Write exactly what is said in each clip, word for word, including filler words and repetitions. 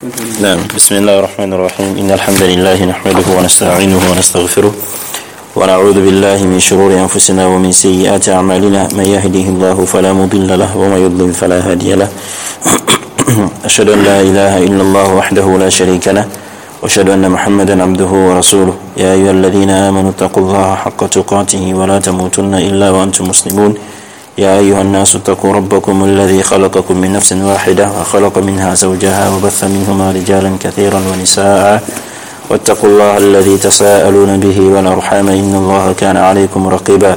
نعم، بسم الله الرحمن الرحيم. إن الحمد لله نحمده ونستعينه ونستغفره، ونعوذ بالله من شرور أنفسنا ومن سيئات أعمالنا. من يهده الله فلا مضل له، ومن يضلل فلا هادي له. أشهد أن لا إله إلا الله وحده لا شريك له، وأشهد أن محمدا عبده ورسوله. يا أيها الذين آمنوا اتقوا الله حق تقاته ولا تموتن إلا وأنتم مسلمون. يا أيها الناس اتقوا ربكم الذي خلقكم من نفس واحدة وخلق منها زوجها وبث منهما رجالا كثيرا ونساء، واتقوا الله الذي تساءلون به والأرحام إن الله كان عليكم رقيبا.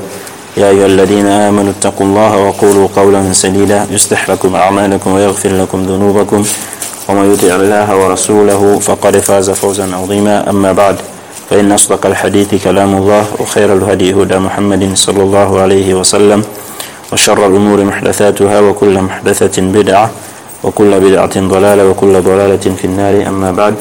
يا أيها الذين آمنوا اتقوا الله وقولوا قولا سديدا يصلح لكم أعمالكم ويغفر لكم ذنوبكم، ومن يطع الله ورسوله فقد فاز فوزا عظيما. أما بعد، فإن أصدق الحديث كلام الله، وخير الهدي هدى محمد صلى الله عليه وسلم، وشر الأمور محدثاتها، وكل محدثة بدعة، وكل بدعة ضلالة، وكل ضلالة في النار. أما بعد.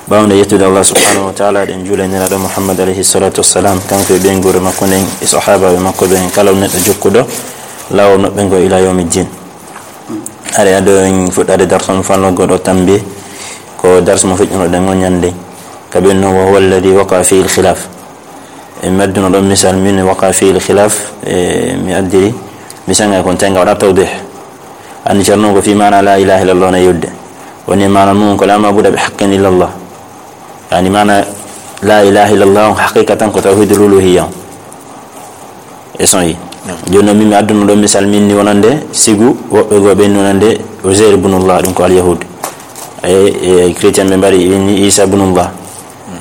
Ɓaawo nde yettude Allah subhanahu wa taala, ɗen juula e Nelaaɗo Muhammad alayhi salatu wassalam, kanko e ɓeynguure makko nden, e sahaabaaɓe makko ɓen, kala neɗɗo jokkuɗo laawol maɓɓe ngo ila yawmi ddin. Hari ado en fuɗɗaade darsu mo fanno goɗo tambi, ko darsu mo feƴƴunoɗen o ñande. Ka ɓen non, wa huwa alladhi waqa fihi al-khilaf. E mi adduno ɗon misal min waqa fihi al-khilaf, e mi addiri misal ngal kon tenga waɗa tawdih. Anni Ceerno ko fi maana la ilaha illallah na yewde. Woni maana mum ko la maabuda bi haqqin illallah. Yani maana la ilaha illallah on haqiqatan ko tawhidul uluhiyya on. E son yi. Jooni non min mi adduno ɗon misal min ni wonande sigu woɓɓe goo ɓen ni wonande Uzair ibnullah, ɗum ko al-Yahud. E, e chrétien ɓe mbari ɓen ni Isa ibnullah.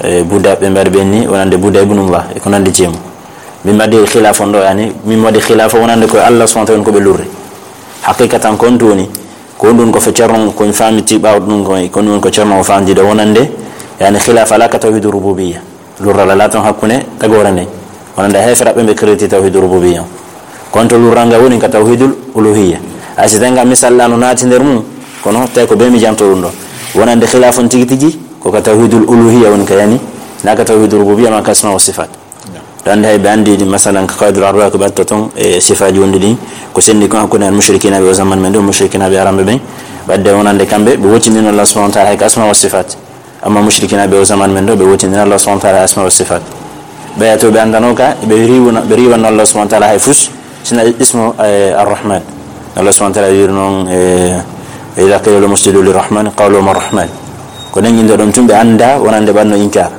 E Buddha ɓe mbari ɓen ni wonande Buddha ibnullah. E ko nandi ceemu. Min mbaɗi khilaaf on ɗo, yani, min waɗi khilaaf wonande ko Allah subhanahu wa ta'ala ko ɓe lurri. Haqiqatan kon tuni, ko ɗum ko fe Ceerno, ko mi faamiti ɓaawo ɗum ko, ko ɗum ko Ceerno o faamdi ɗo wonande, yani, khilaaf ala ka tawhidu rububiyya. Lurral ala ton hakkunde tagoore nden. Wonande heeferaɓe ɓe kiriti tawhidu rububiyya. Kon to lurral ngal woni ka tawhidul uluhiyya. Ay si tenga misal la no naati nder mum, kono tawi ko be mi janto ɗum ɗo. Wonande khilaaf on tigi tigi, ko ka tawhidul uluhiyya woni ka yani, na ka tawhidul rububiyya ma ka asma wa sifat. Ɗo andi hay ɓe andi ɗi, masalan, ka Qawaidul Arba'a ko ɓe atta ton e sifaaji wonɗi ɗin, ko sendi kon hakkunde al mushrikina ɓe o zaman men ɗo, mushrikina ɓe aramɓe ɓen. Ɓadde wonande kamɓe, ɓe wotindino Allah subhanahu wa ta'ala hay ka asma wa sifat. Amma mushrikina ɓe o zaman men ɗo, ɓe wotindino Allah subhanahu wa ta'ala asma wa sifat. Ɓeya to ɓe andano ka, ɓe riwna, ɓe riwanno Allah subhanahu wa ta'ala hay fus, sina ismu, eh, Ar-Rahman. Allah subhanahu wa ta'ala wiri non, eh, "Wa idha qila lahum usjudu lirrahman, qalu wa ma rahman." Ko nden indo ɗon tun ɓe anda, wonande ɓanno inkar.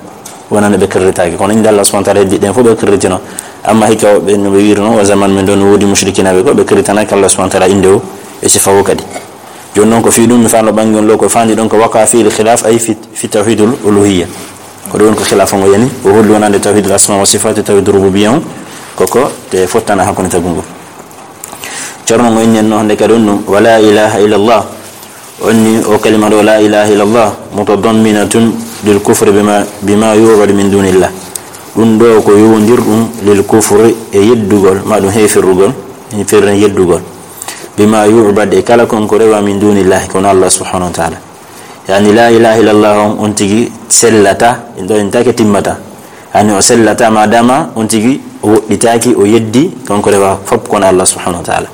Wonande ɓe kirritaaki. Kono innde Allah subhanahu wa ta'ala heddi ɗen fof ɓe kirritino. Amma hikka ɓe no ɓe wiiri noon, o zaman men ɗo no woodi mushrikina ɓe ko ɓe kirritanaki Allah subhanahu wa ta'ala innde o e sifa o kadi. Jooni noon ko fii ɗum mi faalo ɓangi on lo ko faandi ɗon ko waqa fiil khilaf ay fi, fi tawhidul uluhiyya. Ko ɗum woni ko khilaf on o yani. O holli wonande tawhidul asma wa sifat e tawhidul rububiyya on. Koko te fottana hakkunde tagungol. Ceerno ngo inni en noon hannde kadi on ɗum, wa la ilaha illallah. On ni o kalima ɗo, la ilaha illallah, mutadamminatun lil kufri bima, bima yu'badu min dunillah. Ɗum ɗo ko yowondirɗum lil kufri e yeddugol, ma ɗum heefirrugol, heefirren yeddugol. Bima yu'bad e kala kon ko rewa min dunillahi, kono Allah subhanahu wa ta'ala. Yani la ilaha illallah on, on tigi sellata, ɗo en take timmata. Yani o sellata madama on tigi o woɗɗitaki, o yeddi kon ko rewa fop kono Allah subhanahu wa ta'ala.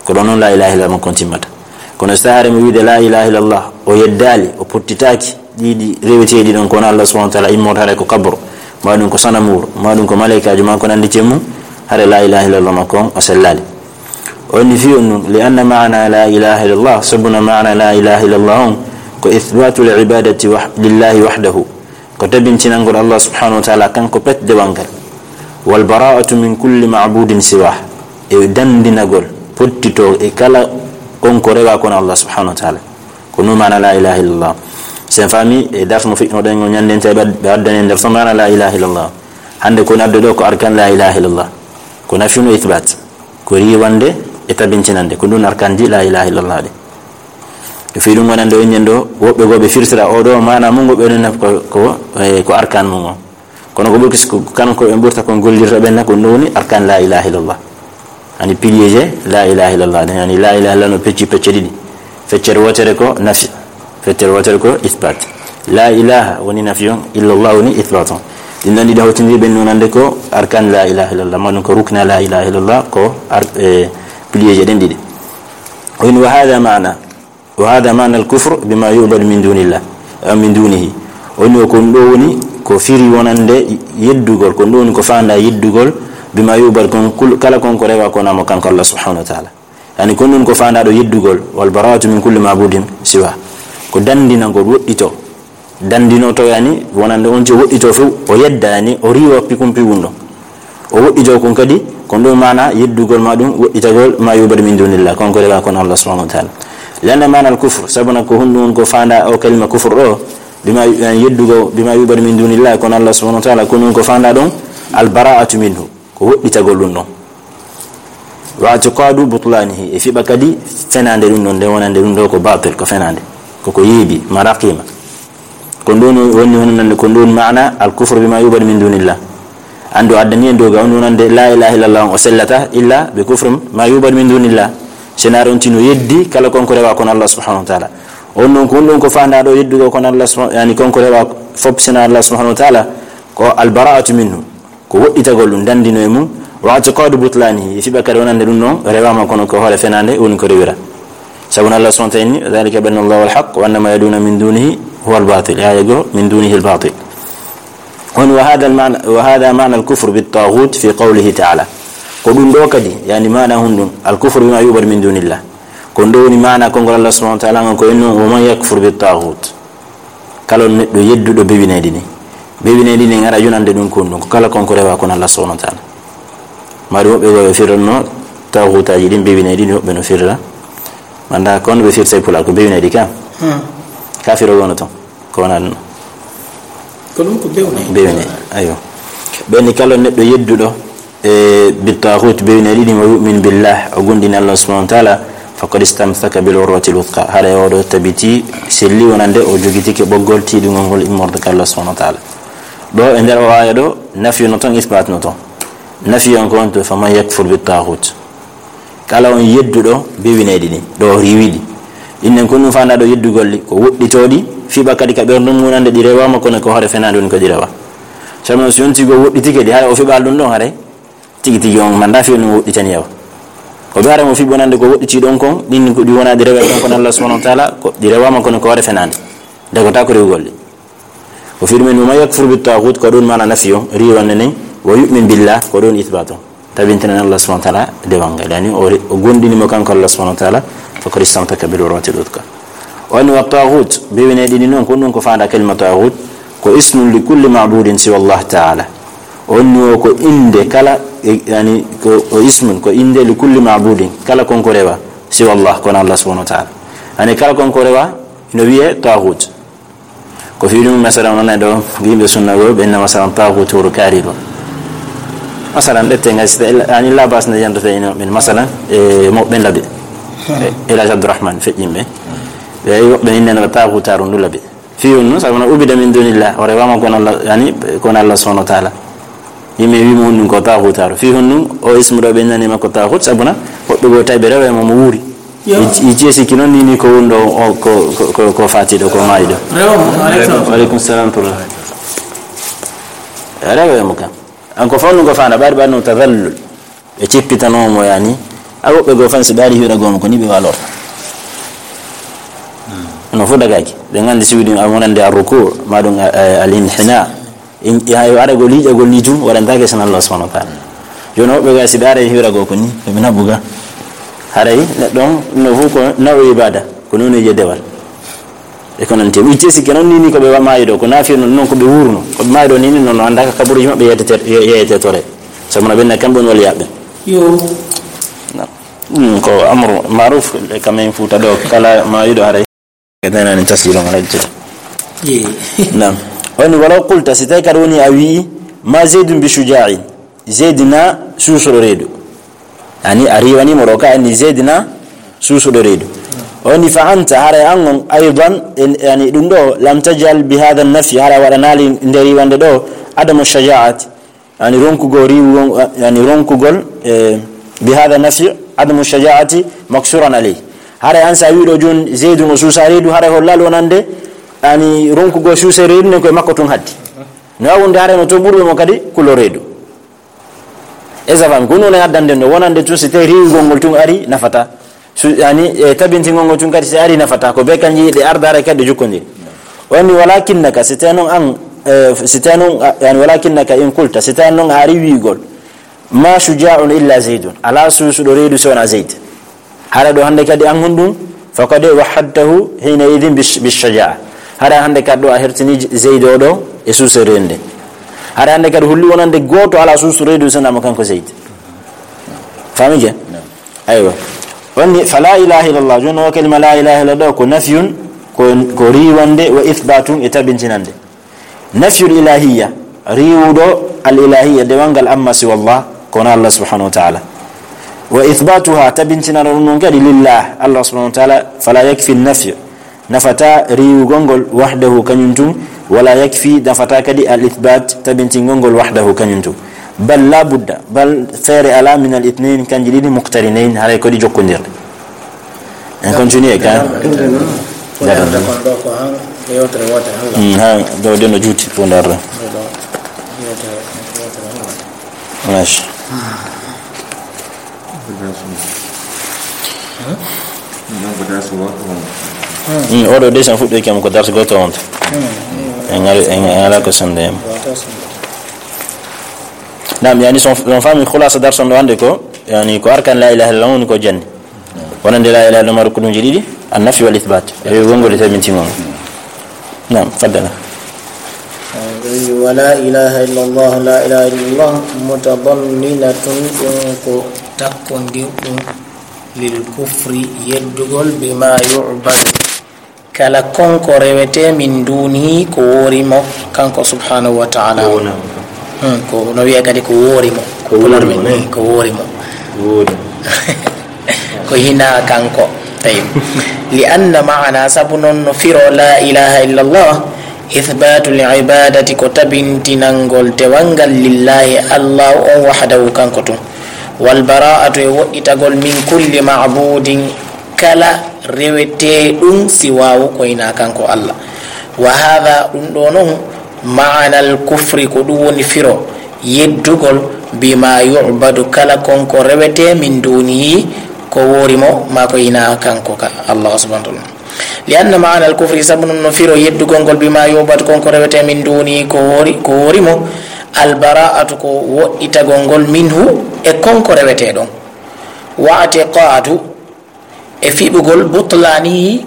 Ko ɗon noon la ilaha illallah makko on timmata. Kono so tawi hare mo wiide la ilaha illallah, o yeddaali, o pottitaaki ɗiɗi reweteeɗi ɗon, kono Allah subhanahu wa ta'ala immorde hare ko kabro, ma ɗum ko sanamuru, ma ɗum ko malaykaajo, ma ko nandi cemmu, hare la ilaha illallah makko on o sellaali. O inni fii on ɗum, li anna maana la ilaha illallah, sabuna maana la ilaha illallah on, ko ithbatul ibadati wah-, lillahi wahdahu. Ko tabintinangol Allah subhanahu wa ta'ala kanko pet dewal ngal. Wal bara'atu min kulli ma'budin siwah. E dandinagol, pottito e kala on ko rewa kono Allah subhanahu wa ta'ala. Ko ɗum maana la ilaha illallah. Sen faami e darsu mo feƴƴunoɗen o ñande en tawi ɓe ad-, ɓe addani en nder son maana la ilaha illallah. Hannde ko naddo ɗo ko arkan la ilaha illallah. Ko nafyun o ithbat. Ko riiwande e tabintinande. Ko ɗum arkanji la ilaha illallah ɗe. Ko fii ɗum wonande o innen ɗo, woɓɓe goo ɓe firtira o ɗo maana mum ngo ɓe ɗon naf ko, ko, eh, ko arkan mum o. Kono ko ɓurki ko kanko en ɓurta kon gollirta ɓen na ko ɗum woni arkan la ilaha illallah. Ani pilier je la ilaha illallah. Ani la ilaha illallah no pecci pecce ɗiɗi. Feccere wotere ko nafi. Feccere wotere ko isbat. La ilaha woni nafi on, illallah woni isbat on. Ɗin ɗon ɗiɗi hawtindiri ɓen nonande ko arkan la ilaha illallah. Ma ɗum ko rukna la ilaha illallah ko ar-, eh, pilier je ɗen ɗiɗi. O woni wa hadha maana. وهذا معنى الكفر بما يعبد من دون الله، أو من دونه. O wi'i ko ɗum ɗo woni ko firi wonande yeddugol, ko ɗum ɗo woni ko faandaa yeddugol, بما يعبد، kon kul-, kala kon ko rewaa ko wonaa mo kanko Allah subhanahu wa ta'ala. Yani ko ɗum ɗo woni ko faandaa ɗo yeddugol, والبراءة من كل معبود سواه. Ko dandinagol, woɗɗito. Dandinoto yani wonande on tigi woɗɗito few, o yedda yani, o riiwa pikum piwum ɗon. O woɗɗito kon kadi, ko ɗum maana yeddugol ma ɗum, woɗɗitagol ما يعبد من دون الله, kon ko rewaa ko wonaa Allah subhanahu wa ta'ala. لأن معنى الكفر، sabu na ko honɗum woni ko faandaa o kalima kufr ɗo, بما، yani yeddugo بما يعبد من دون الله, ko wonaa Allah subhanahu wa ta'ala, ko ɗum ko faandaa ɗon البراءة منه, ko woɗɗitagol ɗum ɗon. واعتقاد بطلانه، e fiɓa kadi fenaande ɗum ɗon, nde wonande ɗum ɗo ko baatil, ko fenaande, ko ko yeeɓi, ما رقيم. Ko ɗum woni honɗum, ko ɗum maana الكفر بما يعبد من دون الله. Anndu addani en doga on wonande لا إله إلا الله on o sellata إلا بكفر ما يعبد من دون الله. Senaare on tigi no yeddi kala kon ko rewaa ko wonaa Allah subhanahu wa ta'ala. On ɗon ko honɗum ko faandaa ɗo yeddugo ko wonaa Allah subhanahu, yani kon ko rewaa fof senaare Allah subhanahu wa ta'ala, ko البراءة منه. Ko woɗɗitagol ɗum, dandino e mum. واعتقاد بطلانه, e fiɓa kadi wonande ɗum ɗon rewaama kono ko hoore fenaande woni ko rewira. Sabu Allah subhanahu wa ta'ala inni, ذلك بأن الله هو الحق وأن ما يدعون من دونه هو الباطل. Aaya goo, من دونه الباطل. On وهذا المعنى، وهذا معنى الكفر بالطاغوت في قوله تعالى. Ko ɗum ɗo kadi, yani maana honɗum, الكفر بما يعبد من دون الله. Ko ɗum ɗo woni maana konngol Allah subhanahu wa ta'ala ngon ko inno, ومن يكفر بالطاغوت. Kala on neɗɗo yedduɗo bewineyɗi ɗin. Bewineyɗi ɗin en ara yonande ɗum ko honɗum, ko kala kon ko rewaa ko wonaa Allah subhanahu wa ta'ala. Mari woɓɓe goo ɓe firranno taaguutaaji ɗin bewineyɗi ɗin, woɓɓe no firra. Mi anndaa ko honno ɓe firta e Pulaar, ko bewineyɗi ka. Hmm. Ka firo wono ton, ko wonaa ɗum. Ko ɗum ko bewineyɗi. Bewineyɗi, aywa. Ɓen ni kala on neɗɗo yedduɗo e بالطاغوت, bewineyɗi ɗin, ويؤمن بالله, o gomɗini Allah subhanahu wa ta'ala, فقد استمسك بالعروة الوثقى. Haray o ɗo tabiti, selli wonande o jogitike ɓoggol tiiɗungol ngol immorde ka Allah subhanahu wa ta'ala. Ɗo e nder o aaya ɗo, nafi no ton, isbat no ton. Nafi on ko on to, فمن يكفر بالطاغوت. Kala on yedduɗo bewineyɗi ɗin, ɗo riiwiɗi. Innen ko ɗum faandaa ɗo yeddugol ɗi, ko woɗɗitooɗi, fiɓa kadi ka ɓernde mum wonande ɗi rewaama kono ko hoore fenaande woni ko ɗi rewaa. Sabu non si on tigi o woɗɗitike ɗi, haray o fiɓaali ɗum ɗon haray. Tigi tigi on mi anndaa fii no woɗɗitani yawa. Ko ɓe haray mo fiɓi wonande ko woɗɗitii ɗon kon, ɗin ko ɗi wonaa ɗi rewee kon ko wonaa Allah subhanahu wa ta'ala, ko ɗi rewaama kono ko hoore fenaande. Dagotaako rewugol ɗi. Ko fii ɗum en, ومن يكفر بالطاغوت, ko ɗum maana nafi on, riiwande nden, ويؤمن بالله, ko ɗum isbat on. Tabintinan Allah subhanahu wa ta'ala dewal ngal. Yani o re-, o gomɗini mo kanko Allah subhanahu wa ta'ala, فقد استمسك بالعروة الوثقى. O inni والطاغوت, bewineyɗi ɗin non, ko ɗum ko faandaa kalima taaguut, ko اسم لكل معبود سوى الله تعالى. O inni o ko innde kala, e, yani ko, ko اسم, ko innde لكل معبود, kala kon ko rewaa, سوى الله, ko wonaa Allah subhanahu wa ta'ala. Yani kala kon ko rewaa, no wi'ee taaguut. Ko fii ɗum, masalan, onon e ɗo, yimɓe sunna goo, ɓe inna, masalan, taaguutu wuro kaari ɗo. Masalan, ɗette ngal, si tawi, yani, labas ne yanto tawi ino ɓen, masalan, e mawɓe laɓe. E, El Hadj Abdourahmane feƴƴinɓe. Ɓe, woɓɓe inna no taaguutaaru ndu laɓe. Fii on no, sabu no عبد من دون الله, o rewaama ko wonaa Allah, yani, ko wonaa Allah subhanahu wa ta'ala. Yimɓe wii mo honɗum ko taaguutaaru. Fii honɗum, o ismu ɗo ɓe innani makko taaguut, sabu na, woɓɓe goo tawi ɓe reway mo, mo wuuri. Yo. I, i jeesi ki non ni, ni ko wonɗo o, ko, ko, ko, ko faati ɗo, ko maayi ɗo. Rewo mo, aleykum salam. Wa aleykum salam wa rahmatullah. Rewo mo kan. An ko fonndu ko faandaa, ɓaari ɓaari no tadallul. Ɓe cippitanoo mo yani. A woɓɓe goo fan si ɓaari hiwra goo mo ko ni ɓe walorta. No fof dagaaki. Ɓe nganndi si wiɗum a wonande ar-ruku, ma ɗum, eh, al-inhina. In, hay aragol yiɗagol ni tun waɗantaake sona Allah subhanahu wa ta'ala. Jooni woɓɓe ga si ɓe aray hiwragol ko ni, ko ɓe naɓuga. Haray neɗɗo on no fof ko nawɗo ibada, ko noon e dewal. E ko nanti. Mi itti sikke noon ni, ni ko ɓe maayi ɗo, ko naafi noon, noon ko ɓe wuurno. Ko ɓe maayi ɗo ni, ni noon no annda ka kaburuji maɓɓe yeetete-, ye-, yeetetore. Sabu no ɓen na kamɓe on wali yaɓɓe. Yo. Na. Ɗum ko amru maruf e kamen Fuuta ɗo, kala maayiɗo haray. Ka danani tasjil on alhaji. Ye. Naam. Woni walaw qulta, si tawi kadi woni a wi'i, ma Zaydun bi shuja'in. Zayd na suusuɗo reedu. Yani a riiwani mo ɗo ka anni Zayd na suusuɗo reedu. Woni fa anta, haray an on, aydan, en, yani ɗum ɗo, lam tajal bi hadha nafi, haray waɗanaali nde riiwande ɗo, adamu shaja'at. Yani ronkugol riiwugol, yani ronkugol, eh, bi hadha nafi, adamu shaja'ati maksuran alayh. Haray an sa wiɗo jun Zaydun o suusa reedu, haray hollal wonande, yani ronkugol suuse reedu nden koye makko tun haddi. No wawunde haray no to ɓurɓe mo kadi kulo reedu. Esa fami, ko ɗum woni addande no wonande tun si tawi riiwugol ngol tun ari nafata. Su-, yani, e tabintingol ngol tun kadi si ari nafata ko be kanji ɗe arda haray kadi ɗe jokkodiri. O inni, "Walakinnaka", si tawi noon an, e, si tawi noon, a, yani, "Walakinnaka in qulta", si tawi noon a ari wiigol, "Ma shuja'un illa Zaydun", alaa suusuɗo reedu si wonaa Zayd. Hara ɗo hannde kadi an honɗum, faqad wahhadtahu hina idin bish-, bish-shaja'a. Hara hannde kadi ɗo a hertini Zayd o ɗo e suusuɗo reedu nde. Hara hannde kadi holli wonande gooto alaa suusuɗo reedu si wonaa mo kanko Zayd. Faami ke? Aywa. Wonni, "Fa la ilaha illallah", jooni o kalima la ilaha illallah ko nafyun, ko, ko riiwande, wa ithbatun e tabintinande. Nafyul ilahiyya, riiwuɗo al ilahiyya, dewal ngal amma siwa Allah, kono Allah subhanahu wa ta'ala. Wa ithbatuha, tabintinano ɗum noon kadi lillah, Allah subhanahu wa ta'ala, fala yakfi nafyu, nafata riiwugol ngol wahdahu kañum tun, wala yakfi, nafata kadi al ithbat, tabintingol ngol wahdahu kañum tun. Bal la budda, bal feere ala min al ithnayn, kanji ɗiɗi muqtarinayn, haray ko ɗi jokkondirɗe. En continue ka. Ko yewtere wootere, Allah. Mm, ha, ɗo de no juuti, ko ndarra. Ɗo, ɗo, yewtere wootere, Allah. Mash. Mm, oɗo de sen fuɗɗoy kam ko darsi goto on. En ngari, en, en ala ko sende. Naam, yani, son, son faami khulasa darsi on ɗo hannde ko, yani, ko arkan la ilaha illallah woni ko janni. Wonande la ilaha illallah, rukunuuji ɗiɗi, an-nafyu wal ithbat. E wonngol e tabintingol. Naam, faddala. Wa la ilaha illallah, la ilaha illallah, mutadamminatun, ɗum ko takkondirɗum lil kufri, yeddugol, bima yu'badu, kala konko rewete min dunihi ko woori mo, kanko subhanahu wa ta'ala. Ko wona mo. Hmm, ko no wiya kadi ko woori mo. Ko woori mo, ne? Hmm, ko woori mo. Woori mo. Ko hina kanko. Tayyib. Li anna ma'ana, sabu noon no firo la ilaha illallah, ithbatul ibadati, ko tabintinangol dewal ngal lillahi, Allah on wahdahu, kanko tun. Wal bara'atu, e woɗɗitagol, min kulli ma'budin, kala reweteeɗum siwaahu ko hinaa kanko Allah. Wa haadha, ɗum ɗo noon, ma'anal kufri, ko ɗum woni firo yeddugol, bima yu'badu, kala kon ko rewetee, min duunihi, ko woori mo, maa ko hinaa kanko ka Allah subhanahu wa ta'ala. Li anna ma'anal kufri, sabu noon no firo yeddugol ngol, bima yu'badu, kon ko rewetee, min duunihi, ko woori, ko woori mo, al bara'atu, ko woɗɗitagol ngol, minhu, e kon ko rewetee ɗon. Wa i'tiqadu, e fiɓugol, butlanihi,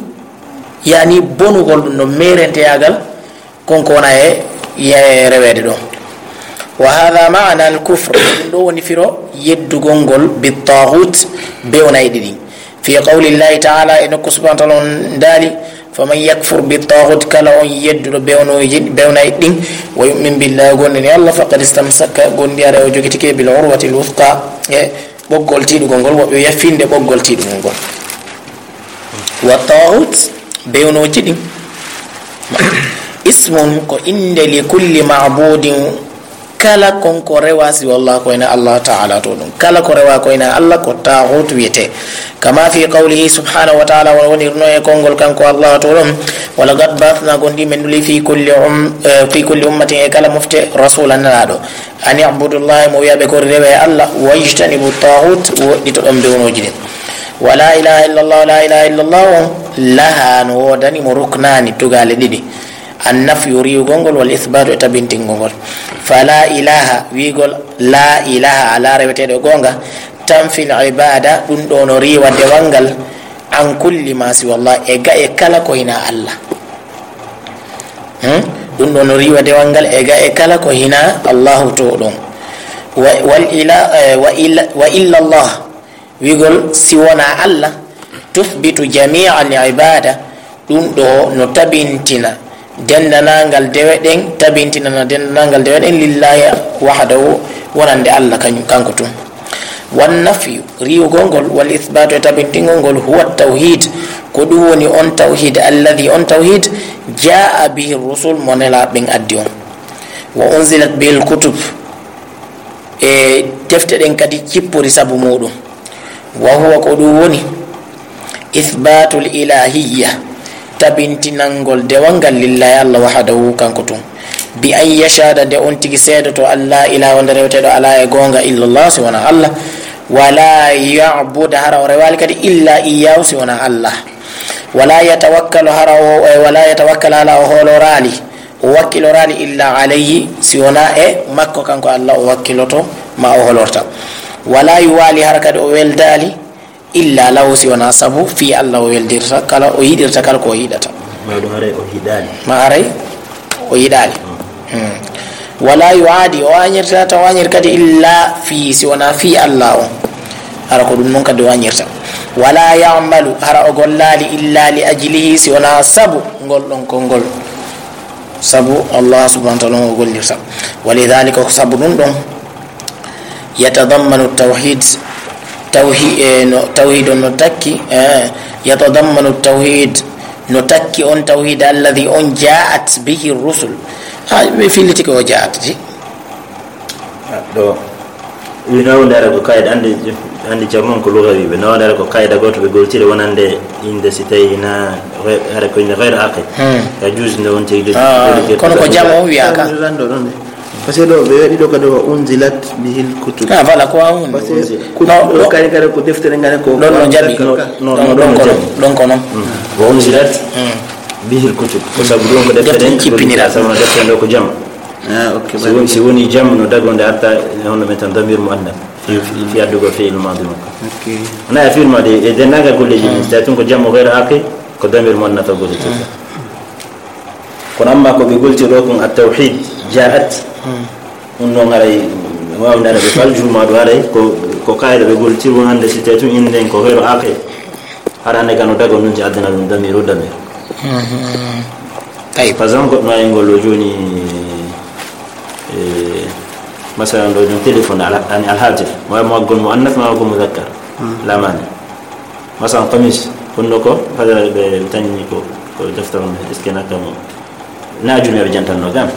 yani bonugol ɗum ɗon, meerenteyagal, kon ko wona e, e reweede ɗon. Wa hadha ma'na al-kufr, ɗum ɗo woni firo yeddugol ngol, bi taghut, bewnayɗi ɗin. Fi qawli Llahi ta'ala, e nokku subhanahu wa ta'ala on daali, "Faman yakfur bi taghut," kala on yedduɗo bewnooji, bewnayɗi ɗin, "wa yu'min billahi," o gondini Allah, "faqad istamsaka," gondi ara o jogitike, "bil urwati al-wuthqa," e ɓoggol tiiɗugol ngol, woɓɓe wiya finnde ɓoggol tiiɗugol ngol. Wa taghut, bewnooji ɗin. Ismun, ko innde, li kulli ma'budin, kala kon ko rewa siwa Allah ko hinaa Allah ta'ala to ɗum. Kala ko rewa ko hinaa Allah ko taghut wiyete. Kama fi qawlihi subhanahu wa ta'ala, woni, woni no e konngol kanko Allah to ɗum. Wa laqad ba'athna, gondi men nuli fi kulli um-, eh, fi kulli ummatin, e kala mofte, rasulan, nelaaɗo. An i'budu Llaha, mo wiya ɓe ko rewe Allah, wajtanibu taghut, woɗɗito ɗon bewnooji ɗin. Wa la ilaha illallah, la ilaha illallah on, laha, no woodani mo ruknani, tugaale ɗiɗi. An nafyu, riiwugol ngol, wal ithbatu, e tabintingol ngol. Fa la ilaha, wiigol la ilaha, alaa reweteeɗo e goonga, tanfil ibada, ɗum ɗo no riiwa dewal ngal, an kulli ma siwa Allah, e ga e kala ko hinaa Allah. Hmm? Ɗum ɗo no riiwa dewal ngal e ga e kala ko hinaa Allahu to ɗum. Wa, wal ila, eh, wa ila, wa illa Allah, wiigol si wonaa Allah, tuthbitu jamia al ibada, ɗum ɗo no tabintina denndanangal dewe ɗen, tabintinana denndanangal dewe ɗen lillahi wahdahu, wonande Allah kañum, kanko tun. Wan nafyu, riiwugol ngol, wal ithbatu, e tabintingol ngol, huwa tawhid, ko ɗum woni on tawhid, alladhi, on tawhid, jaa bihi rusul, mo nelaaɓe ɓen addi on. Wa unzilat bihi al kutub, e defte ɗen kadi cippori sabu muɗum. Wa huwa, ko ɗum woni, ithbatul ilahiyya, tabintinangol dewal ngal lillahi Allah wahdahu, kanko tun. Bi an yashhada, nde on tigi seedoto, an la ilaha, wonde reweteeɗo alaa e goonga, illa Allah, si wonaa Allah. Wala ya'bud, hara o rewaali kadi, illa iyyahu, si wonaa Allah. Wala yatawakkalu, hara o, e, wala yatawakkal, hara o hooloraali, o wakkiloraali, illa alayhi, si wonaa e makko kanko Allah o wakkiloto, ma o hoolorta. Wala yuwali, hara kadi o weldaali, illa lahu, si wonaa sabu fii Allah o weldirta, kala o yiɗirta, kala ko o yiɗata. Ma ɗum haray o yiɗaali. Ma haray o yiɗaali. Hmm. Wala yu'adi, o añirta, taw añir kadi illa fii, si wonaa fii Allah o. Hara ko ɗum noon kadi o añirta. Wala ya'malu, hara o gollaali illa li ajlihi, si wonaa sabu ngol ɗon konngol. Sabu Allah subhanahu wa ta'ala o gollirta. Walidhalika, ko sabu ɗum ɗon, yatadammanu tawhid, tawhi-, e, no, tawhid on no takki, e, yatadammanu tawhid, no takki on tawhid alladhi on ja'at bihi rusul. Ha, ɓe filliti ko o ja'at di. Ɗo, wi nawdare ko kayda, andi, andi jamon ko lugawi ɓe. Nawdare ko kayda gooto ɓe goltiri wonande innde si tawi ina ghe-, hare ko innde ghayr aqil. Hmm. Ka juus nde wonti e Ah, kono ko jam o wiya ka. Rando ɗon de. Parce que ɗo ɓe waɗi ɗo kadi wa unzilat bihil kutub. Ah, voilà, ko wa un. Parce que Unzila. Kutub No, ɗo no. Kadi kadi ko deftere ngare ko Ɗon no jaɓi. Ka. No, no, Ɗon, no, ɗon no ko jaɓi. Ɗon ko non. Mm. Wa unzilat Mm. bihil kutub. Ko sabu ɗum ko deftere Deftere cippinira. Sabu no deftere ɗo ko jam. Ah, ok, Si woni, si woni jam no dagonde arta, hono men tan damir muannas. Fi, fi, fi addugo fi'il madi makko. Ok. Wona e fi'il madi, e dennagal golleji ɗin, Mm. so tawi tun ko jam o ghayr aqil, ko damir muannas o gollitirta. Mm. Kono amma ko ɓe golti ɗo kon at-tawhid ja'at. Mm. Ɗum noon haray waawde ara ɓe fal juma ɗo haray ko, ko kayda ɓe golti wonande si tawi tun inden ko ghayr aqil. Hara ne kano dago nun ti addana ɗum damir o damir. Mhm. Tayyib. Par exemple, goɗɗo no ayngol o jooni, e, masalan ɗo jooni téléphone ala, ani alhatif. Mo, mo aggon muannas ma ko muzakkar. Mm. La mani. Masalan, qamis, kono ko, hada ɓe tanni ko, ko deftere on, est-ce que nakka mo? Na ajurmi ɓe jantanno kam.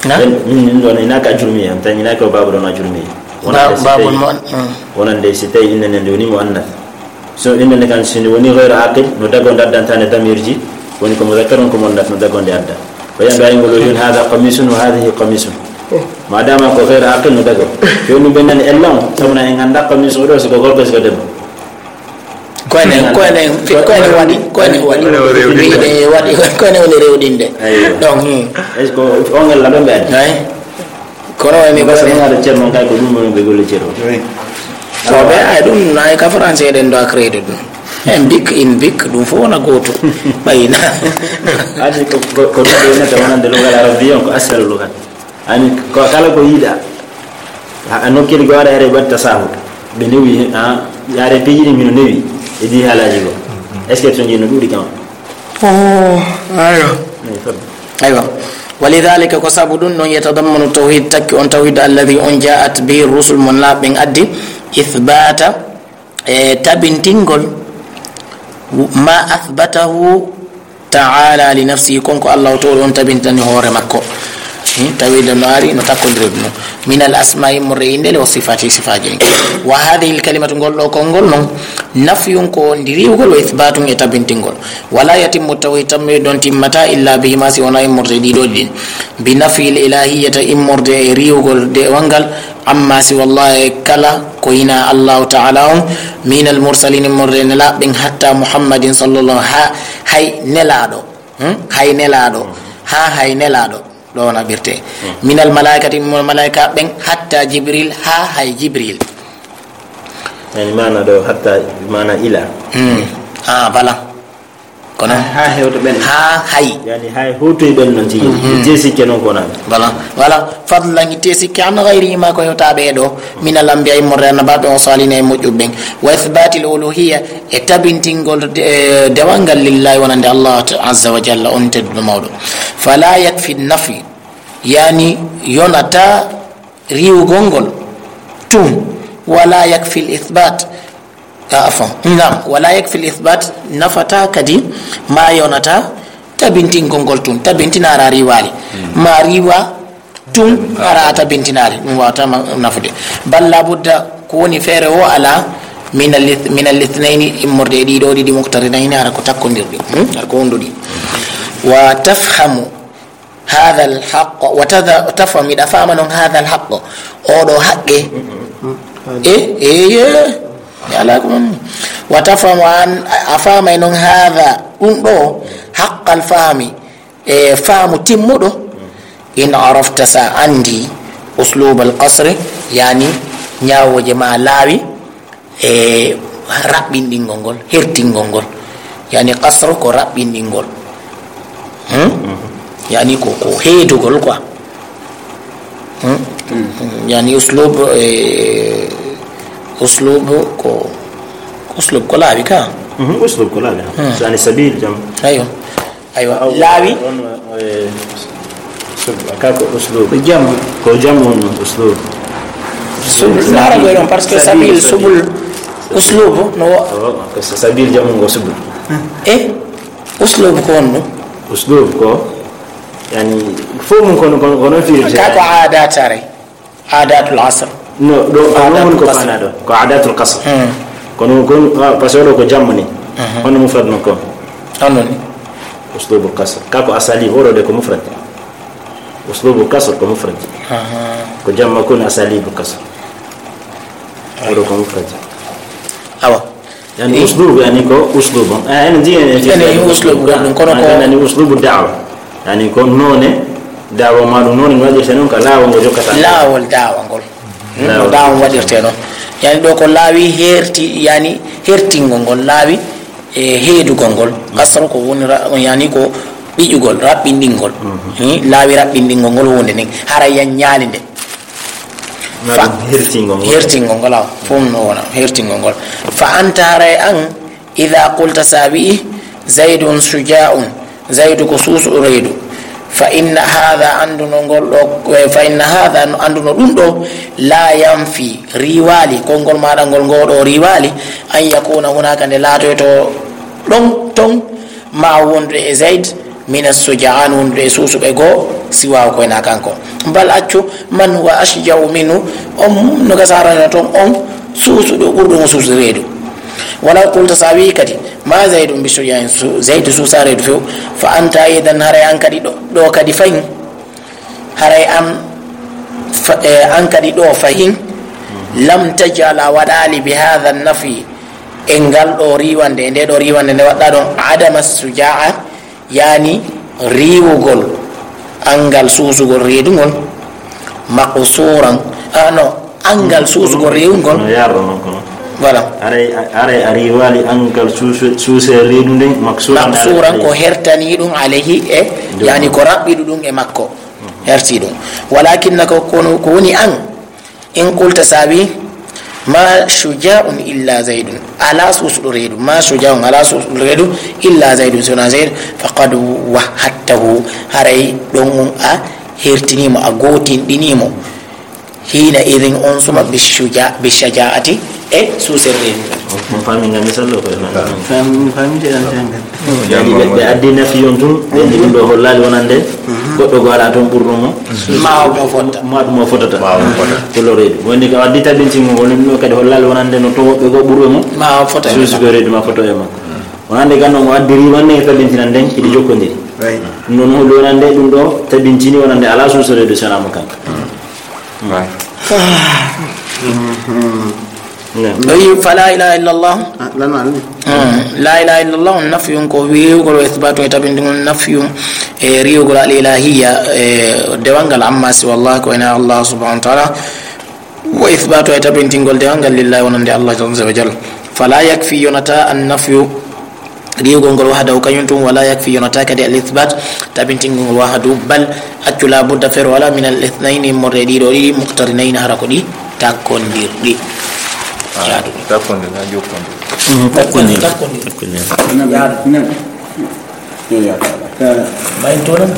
Na? En, min, min ɗon, ina ka ajurmi, en tan ina ko babu ɗon ajurmi. Ba-, wonande si babu tawi, mo, mm. Wonande si tawi innde nden woni muannas. So innde nden kan si woni ghayr aqil, no dago daddantane damirji, woni ko mudhakkarun ko muannas no dago nde adda. Ko yando ay ngol o yon hada qamisun wa hadhihi qamisun. Madama ko ghayr aqil no dago. Yo ɗum ɓe nani ella on, sabu na en ganda qamis o ɗo si ko gorko si ko debbo. Ko enen, ko enen, ko enen waɗi, ko enen waɗi. Ko enen waɗi. Wiide waɗi, ko enen woni rewɗinde. Eyyo. Donc, hmm. Est-ce que on ngal ɗo ɓe addi? Ay. Kono woni ko enen. Parce que ngaɗa ceerno kay ko ɗum woni ɓe golle ceerno. Oui. So ɓe ay ɗum na e ka français ɗen ɗo a créé ɗum. En bik, in bik, ɗum fof wona gooto. Ɓayna. Adi ko, ko, ko ɗum ɗo nata wonande lugal arabiya on ko asal lugal. Ani ko kala ko yiɗa. A, a nokkiri ko ara are batta sahu. Ɓe newi, ha, yare peyi ɗi mino newi. E di halaji ko. Est-ce que to jino ɗuɗi kam? Oh, ayo. Ay, fadde. Aywa. Walidhalika ko sabu ɗum noon yatadammanu tawhid takki on tawhid alladhi on ja'at bihi rusul mon laaɓen addi ithbata e tabintingol ma athbatahu ta'ala li nafsihi, kon ko Allah o towɗo on tabintani hoore makko. Hmm, tawi ɗo no ari, no takkondiri ɗum. Min al asma'i murre inɗe le wa sifati sifaji ɗin. Wa hadhihi al kalimatu ngol ɗo konngol non, nafyun ko ndi riwgol wa ithbatun e tabintingol. Wala yatimmu tawhid tammi ɗon timmata illa bihima si wona e murre ɗiɗo ɗin. Bi nafyi al ilahiyata immorde e riwgol de wangal amma siwa Allah e kala ko hinaa Allahu Ta'ala on, minal mursalin, immorde e nelaaɓe ɓen, hatta Muhammadin sallallahu, ha, hay nelaaɗo, hmm? Hay nelaaɗo, ha hay nelaaɗo, ɗo naɓirte. Hmm. Minal malaikati, immorde malaika ɓen, hatta Jibril, ha hay Jibril. Yani maana ɗo, hatta maana ila. Hmm. Ah, voilà. Kono ha, ha hewto ɓen. Ha hay. Yani hay hoto e ɓen non tigi. Mhm. Te sikke non ko nan. Voilà. Voilà. Fadlan te sikke an ghayrihima ko hewtaɓe e ɗo. Min al anbiya immorde annabaɓe o salina e moƴƴuɓe ɓen. Wa ithbatil uluhiyya e tabintingol de-, e dewal ngal lillahi wonande Allah azza wa jalla on tedduɗo mawɗo. Fala yakfi nafy. Yani yonata riwgol ngol tun. Wala yakfi al ithbat. Ah, afwan. Naam, wala yakfi al ithbat, nafata kadi ma yonata tabintingol ngol tun. Tabintina ara riwali. Hmm. Ma riwa tun ara a tabintinali. Ɗum wawata ma-, nafude. Bal la budda ko woni feere o ala min al ith-, min al ithnayni immorde e ɗiɗo ɗiɗi muqtarinayni ara ko takkondirɗi. Hmm? Ara ko wonduɗi. Wa tafhamu hadha al haqq, wa tadha-, tafham, miɗa faama non hadha al haqq, oɗo haqqe, E, e, e, e alaa ko ɗum. Wa tafhamu an, a faamay noon haada, ɗum ɗo, haqqal fahmi, e faamu timmuɗo. In arafta, so a anndi, uslubal qasri, yani ñaawooje ma laawi, e raɓɓinɗingol ngol, hertingol ngol. Yani qasru ko raɓɓinɗingol. Hmm? Yani ko, ko heedugol quoi. Hmm? Yani uslub, e, uslub ko, uslub ko laawi ka? Mhm, uslub ko laawi. Hmm. Yani sabil jam. Aywa. Aywa. Laawi. On, eh, sub-, ka ko uslub. Ko jam. Ko jam on uslub. Sub-, nara ko ɗon, parce que sabil, sabil, subul, uslub, no. Oh, ko sa-, sabil jam on ko subul. Eh? Uslub ko on ɗum? Uslub ko, yani, fof mum kono, kono, kono firde. Ka ko aadaat are. Aadatul asr. No, ɗo, ko aadatul noon ko qasr. Faanaa ɗo. Ko aadatul qasr. Hmm. Kono, kono, ah, parce que oɗo ko jamma ni. Mhm. Hono mufrad makko? Hono ni? Uslubul qasr. Ka ko asalib, oɗo de ko mufrad. Uslubul qasr ko mufrad. Aha. Ko jamma ko ni asalibul qasr. Oɗo ko mufrad. Awa. Yani, eh? Uslub, yani, ko uslub. Eh, ene jii, ene jii. Ene jii uslub goɗɗum, kono ko, yani, uslubu da'wa. Yani, ko noone da'wa ma ɗum, noone no waɗirte noon, ka laawol ngo jokkata. Laawol da'wa ngol. Hmm, no da'wa waɗirte noon. Yani, ɗo ko laawi herti, yani, hertingol ngol, laawi, e, heedugol ngol. Qasru ko woni ra-, yani, ko ɓiƴugol, raɓɓinɗingol. Mhm. Hmm, laawi raɓɓinɗingol ngol huunde nden. Hara yan ñaali nde. Fa-, hertingol ngol. Hertingol ngol, awa. Fof no wona, hertingol ngol. Fa anta, haray an, ida qulta, sa wi'i, Zaydun shuja'un, Zaydu ko suusuɗo reedu. Fa inna hadha, annduno ngol ɗo, eh, fa inna hadha, no annduno ɗum ɗo, la yanfi, riiwaali, konngol maaɗa ngol ngo ɗo riiwaali, an yakuna hunaka, nde laatoyto ɗon, ton, ma wondude e Zayd, mina suja'an, wondude e suusuɓe goo, siwaahu ko wona kanko. Bal accu, man huwa ashja'u minhu, on no gasa arana ton on suusuɗo ɓurɗo mo suusude reedu. Walaw qulta, sa wi'i kadi, ma Zaydun bi shuja'in, su-, Zaydu suusa reedu few, fa anta aidan, haray an kadi ɗo, ɗo kadi fahin, haray an fa-, eh, an kadi ɗo fahin, lam taj'al, a waɗaali, bi hadha nafi, e ngal ɗo riiwande, e nde ɗo riiwande nde waɗɗa ɗon, adama suja'a, yani riiwugol anngal suusugol reedungol, maqsuran, ah, no, anngal suusugol reedungol. No yarro non kono. Voilà. Aray, aray a riiwaali anngal suuse, suuse reedu nden, maqsuran. Maqsuran, alayhi. Ko hertani ɗum alayhi e, dow yani makko. Ko raɓɓiɗo ɗum e makko. Mhm. Herti ɗum. Walakinna ko, kono ko woni an, in qulta, sa wi, ma shuja'un illa Zaydun, alaa suusuɗo reedu, ma shuja'un, alaa suusuɗo reedu, illa Zaydun, si wonaa Zayd, faqad wahhadtahu, haray ɗon on a hertinii mo, a gootinɗinii mo. Hina idin, on suma, bi shuja-, bi shaja'ati, e suusere reedu. On faami ngam misal ɗo ko e faami. Faami, faami te ɗan tan. Yani ɓe, ɓe addi nafi on tun, ɓe ɗum ɗo hollaali wonande, mhm, goɗɗo go alaa toon ɓurɗo mo. Ma o mo fotta. Ma ɗum o fotata. Ma o mo fotata. Ko loreede. Woni ko addi tabintingol ngol, ɗum ɗo kadi hollaali wonande no to woɓɓe go ɓurɓe mo. Ma o fota e suusugo reedu ma foto e makko. Wonande ganno mo addi riiwande e tabintinan nden, kiɗi jokkondiri. Right. Ɗum ɗo no holli wonande ɗum ɗo tabintini wonande alaa suusugo reedu sona mo kanko. Right. Naam. O wi, fa la ilaha illallah. Ah, lan maa ɗum? Hmm. La ilaha illallah, nafyun ko riiwugol, wa ithbatu e tabintingol, nafyun e riiwugol al ilahiyya, e dewal ngal, amma siwa Allah, ko ena Allah subhanahu wa ta'ala, wa ithbatu e tabintingol dewal ngal lillahi wonande Allah azza wa jalla. Fala yakfi, yonata an nafyu, riiwugol ngol wahdahu kañum tun, wala yakfi, yonata kadi al ithbat, tabintingol ngol wahdahu, bal, accu, la budda, feere wala, min al ithnayni, immorde e ɗiɗo ɗiɗi, muqtarinayni, hara ko ɗi takkondirɗi. Ah, jaaduɗi. Takkondirɗi, ha jokkondirɗi. Mm, takkondirɗi. Takkondirɗi. Takkondirɗi. Jaaduɗi. Yo, yo, yo. Mayinto non.